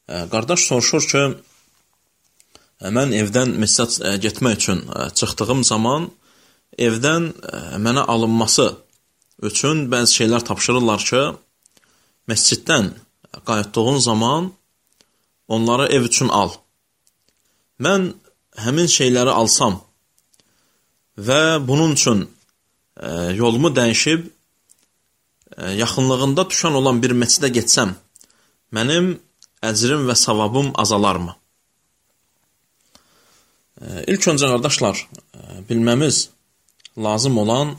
Qardaş soruşur ki, mən evdən məscid getmək üçün çıxdığım zaman evdən mənə alınması üçün bəzi şeylər tapşırırlar ki, məsciddən qayıtdığın zaman onları ev üçün al. Mən həmin şeyləri alsam və bunun üçün yolumu dəyişib yaxınlığında düşən olan bir məscidə getsəm, mənim əcrim və savabım azalarmı? İlk öncə, qardaşlar, bilməmiz lazım olan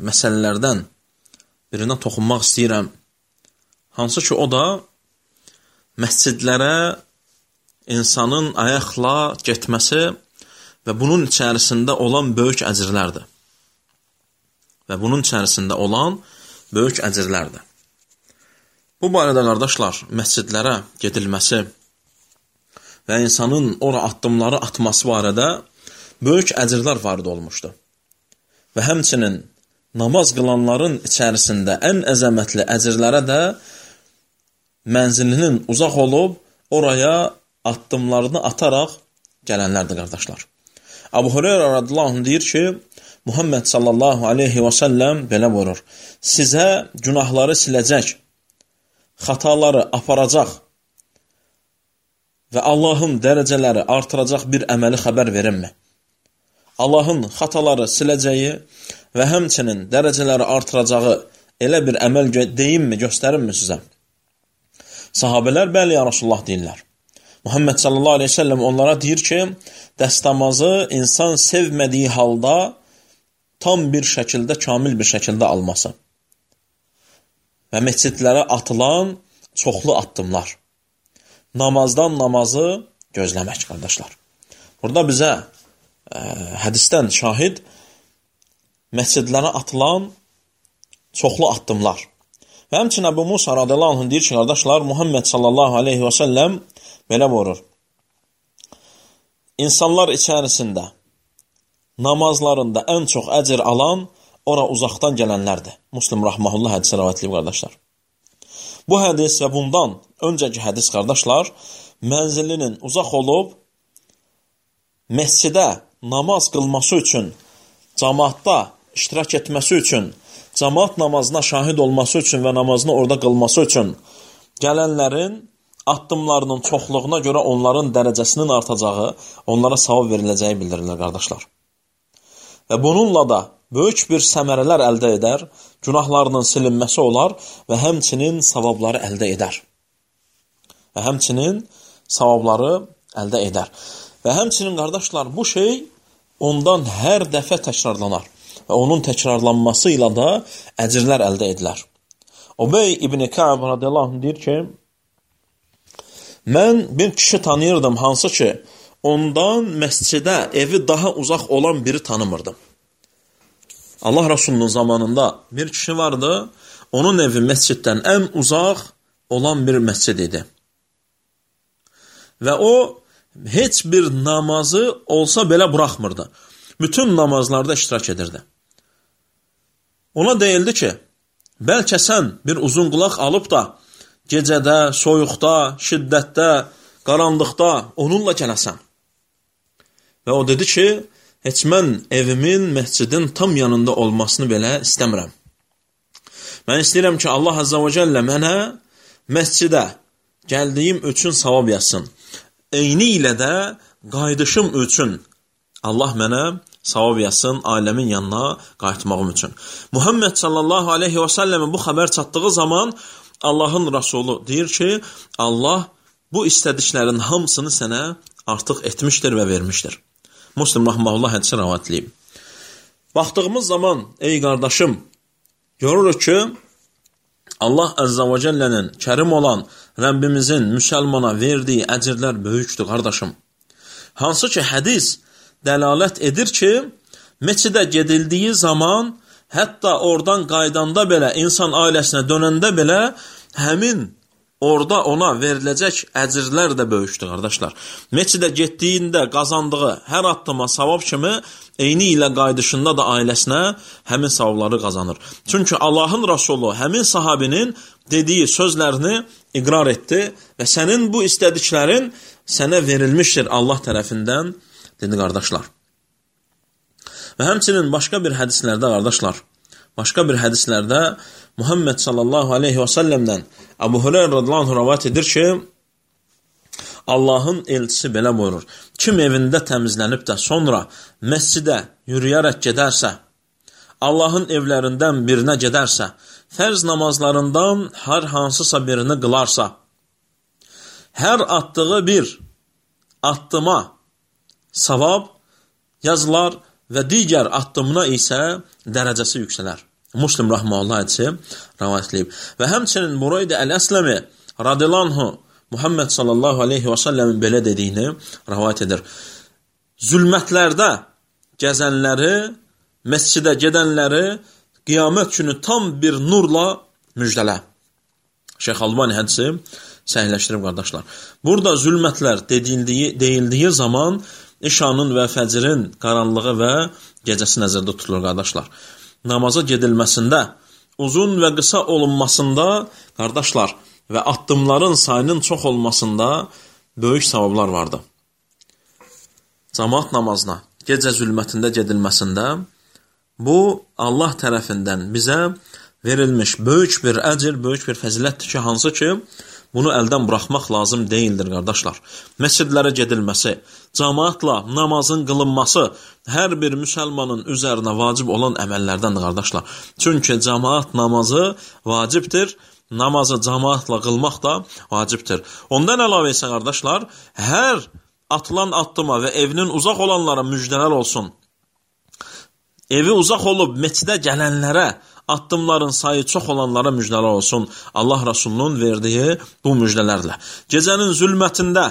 məsələlərdən birinə toxunmaq istəyirəm. Hansı ki, o da məscidlərə insanın ayaqla getməsi və bunun içərisində olan böyük əcrlərdir. Bu barədə, qardaşlar, məscidlərə gedilməsi və insanın ora addımları atması barədə böyük əcrlər varid olmuşdur. Və həmçinin namaz qılanların içərisində ən əzəmətli əcrlərə də mənzilinin uzaq olub, oraya addımlarını ataraq gələnlərdir, qardaşlar. Əbu Hüreyrə radiyallahu anh deyir ki, Muhammed sallallahu aleyhi və səlləm belə buyurur, sizə günahları siləcək, xataları aparacaq və Allahın dərəcələri artıracaq bir əməli xəbər verinmi? Allahın xataları siləcəyi və həmçinin dərəcələri artıracağı elə bir əməl deyimmi, göstərinmi sizə? Sahabələr, bəli ya Rasulullah deyirlər. Muhammed sallallahu aleyhi ve sellem onlara deyir ki, dəstəmazı insan sevmədiyi halda tam bir şəkildə, kamil bir şəkildə alması və məscidlərə atılan çoxlu addımlar. Namazdan namazı gözləmək, qardaşlar. Burada bizə hədisdən şahid məscidlərə atılan çoxlu addımlar. Və həmçinin Əbu Musa radiyallahu anh deyir ki, qardaşlar, Muhammed sallallahu aleyhi və səlləm belə buyurur. İnsanlar içərisində namazlarında ən çox əcr alan ora uzaqdan gələnlərdir. Müslim rahmehullah hədisi rivayət edib, qardaşlar. Bu hədis və bundan öncəki hədis, qardaşlar, mənzilinin uzaq olub məscidə namaz qılması üçün, cəmaatda iştirak etməsi üçün, cəmaat namazına şahid olması üçün və namazını orada qılması üçün gələnlərin addımlarının çoxluğuna görə onların dərəcəsinin artacağı, onlara savab veriləcəyi bildirilir, qardaşlar. Və bununla da böyük bir səmərələr əldə edər, günahlarının silinməsi olar və həmçinin savabları əldə edər. Və həmçinin, qardaşlar, bu şey ondan hər dəfə təkrarlanar və onun təkrarlanması ilə də əcrlər əldə edilər. Ubey ibn Ka'b radiyallahu anh deyir ki, mən bir kişi tanıyırdım, hansı ki, ondan məscidə evi daha uzaq olan biri tanımırdım. Allah Rasulunun zamanında bir kişi vardı, onun evi məsciddən ən uzaq olan bir məscid idi. Və o, heç bir namazı olsa belə buraxmırdı. Bütün namazlarda iştirak edirdi. Ona deyildi ki, bəlkə sən bir uzun qulaq alıb da, gecədə, soyuqda, şiddətdə, qaranlıqda onunla gələsən. Və o dedi ki, heç mən evimin, məscidin tam yanında olmasını belə istəmirəm. Mən istəyirəm ki, Allah Azza və Cəllə mənə məscidə gəldiyim üçün savab yazsın. Eyni ilə də qayıdışım üçün Allah mənə savab yazsın aləmin yanına qayıtmağım üçün. Muhammed sallallahu aleyhi və səlləmin bu xəbər çatdığı zaman Allahın Rasulü deyir ki, Allah bu istədiklərin hamısını sənə artıq etmişdir və vermişdir. Müslim rahmehullah hədisi rivayət edib. Baxdığımız zaman, ey qardaşım, görürük ki, Allah Azza və Cəllənin kərim olan Rəbbimizin müsəlmana verdiyi əcrlər böyükdür, qardaşım. Hansı ki, hədis dəlalət edir ki, məscidə gedildiyi zaman, hətta oradan qaydanda belə, insan ailəsinə dönəndə belə, həmin orada ona veriləcək əcrlər də böyükdür, qardaşlar. Məscidə getdiyində qazandığı hər addıma savab kimi, eyni ilə qayıdışında da ailəsinə həmin savabları qazanır. Çünki Allahın Rasulü həmin sahabinin dediyi sözlərini iqrar etdi və sənin bu istədiklərin sənə verilmişdir Allah tərəfindən, dedi qardaşlar. Və həmçinin başqa bir hədislərdə, qardaşlar, Muhammed sallallahu aleyhi və səlləmdən Əbu Hüreyrə radiyallahu anh rivayet edir ki, Allahın elçisi belə buyurur: kim evində təmizlənib də sonra məscidə yürüyərək gedərsə, Allahın evlərindən birinə gedərsə, fərz namazlarından hər hansısa birini qılarsa, hər atdığı bir addıma savab yazılar və digər addımına isə dərəcəsi yüksələr. Muslim rahmanullah hədisi rivayet edib. Və həmçinin Bureydə Əl-Əsləmi radiyallahu anhu Muhammed sallallahu aleyhi və səlləmin belə dediyini rivayet edir. Zülmətlərdə gəzənləri, məscidə gedənləri qiyamət günü tam bir nurla müjdələ. Şeyx Albani hədisi səhihləşdirib, qardaşlar. Burada zülmətlər deyildiyi zaman işanın və fəcirin qaranlığı və gecəsi nəzərdə tutulur, qardaşlar. Namaza gedilməsində, uzun və qısa olunmasında, qardaşlar, və addımların sayının çox olmasında böyük savablar vardır. Cəmaət namazına gecə zülmətində gedilməsində bu Allah tərəfindən bizə verilmiş böyük bir əcr, böyük bir fəzilətdir ki, hansı ki, bunu əldən buraxmaq lazım deyildir, qardaşlar. Məscidlərə gedilməsi, cəmaatla namazın qılınması hər bir müsəlmanın üzərinə vacib olan əməllərdəndir, qardaşlar. Çünki cəmaat namazı vacibdir, namazı cəmaatla qılmaq da vacibdir. Ondan əlavə isə, qardaşlar, hər atılan addıma və evinin uzaq olanlara müjdələr olsun. Evi uzaq olub məscidə gələnlərə, addımların sayı çox olanlara müjdələr olsun. Allah Rasulunun verdiyi bu müjdələrlə. Gecənin zülmətində,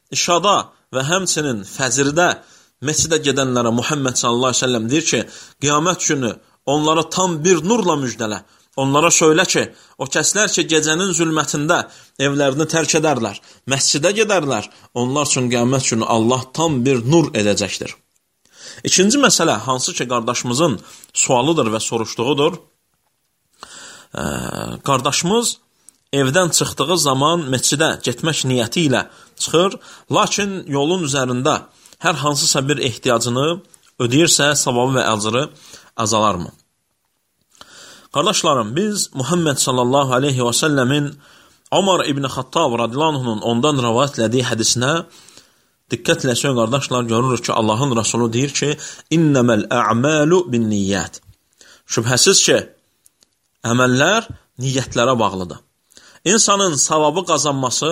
işada və həmçinin fəcirdə məscidə gedənlərə Muhammed sallallahu aleyhi ve sellem deyir ki, qiyamət günü onlara tam bir nurla müjdələ. Onlara söylə ki, o kəslər ki, gecənin zülmətində evlərini tərk edərlər, məscidə gedərlər, onlar üçün qiyamət günü Allah tam bir nur edəcəkdir. İkinci məsələ, hansı ki, qardaşımızın sualıdır və soruşduğudur. Qardaşımız evdən çıxdığı zaman məscidə getmək niyyəti ilə çıxır, lakin yolun üzərində hər hansısa bir ehtiyacını ödəyirsə, savabı və əcri azalarmı? Qardaşlarım, biz Muhammed sallallahu aleyhi və səlləmin Ömər ibn Xattab radiyallahu anhunun ondan rivayet elədiyi hədisinə diqqətlə söyləyin, qardaşlar, görürük ki, Allahın Rasulü deyir ki, İnnəməl ə'məlu bin niyyət. Şübhəsiz ki, əməllər niyyətlərə bağlıdır. İnsanın savabı qazanması,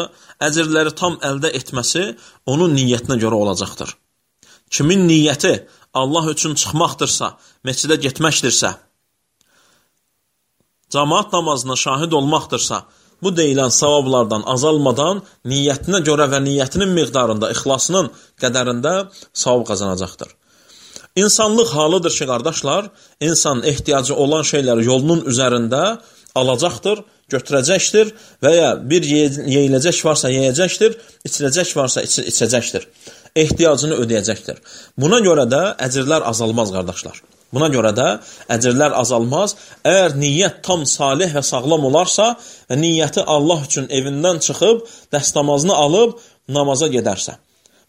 əcrləri tam əldə etməsi onun niyyətinə görə olacaqdır. Kimin niyyəti Allah üçün çıxmaqdırsa, məscidə getməkdirsə, cəmaat namazına şahid olmaqdırsa, bu deyilən savablardan azalmadan niyyətinə görə və niyyətinin miqdarında, ixlasının qədərində savab qazanacaqdır. İnsanlıq halıdır ki, qardaşlar, insan ehtiyacı olan şeyləri yolunun üzərində alacaqdır, götürəcəkdir və ya bir yeyiləcək varsa yeyəcəkdir, içiləcək varsa içəcəkdir. Ehtiyacını ödəyəcəkdir. Buna görə də əcrlər azalmaz, qardaşlar. Buna görə də əcrlər azalmaz. Əgər niyyət tam salih və sağlam olarsa və niyyəti Allah üçün evindən çıxıb, dəstəmazını alıb, namaza gedərsə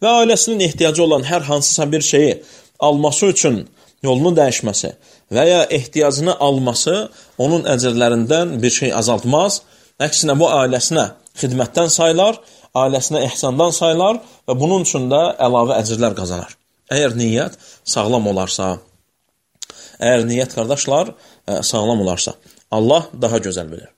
və ailəsinin ehtiyacı olan hər hansısa bir şeyi alması üçün yolunu dəyişməsi və ya ehtiyacını alması onun əcrlərindən bir şey azaltmaz. Əksinə bu ailəsinə xidmətdən sayılar, ailəsinə ehsandan sayılar və bunun üçün də əlavə əcrlər qazanar. Əgər niyyət sağlam olarsa, əgər niyyət, qardaşlar, sağlam olarsa, Allah daha gözəl bilir.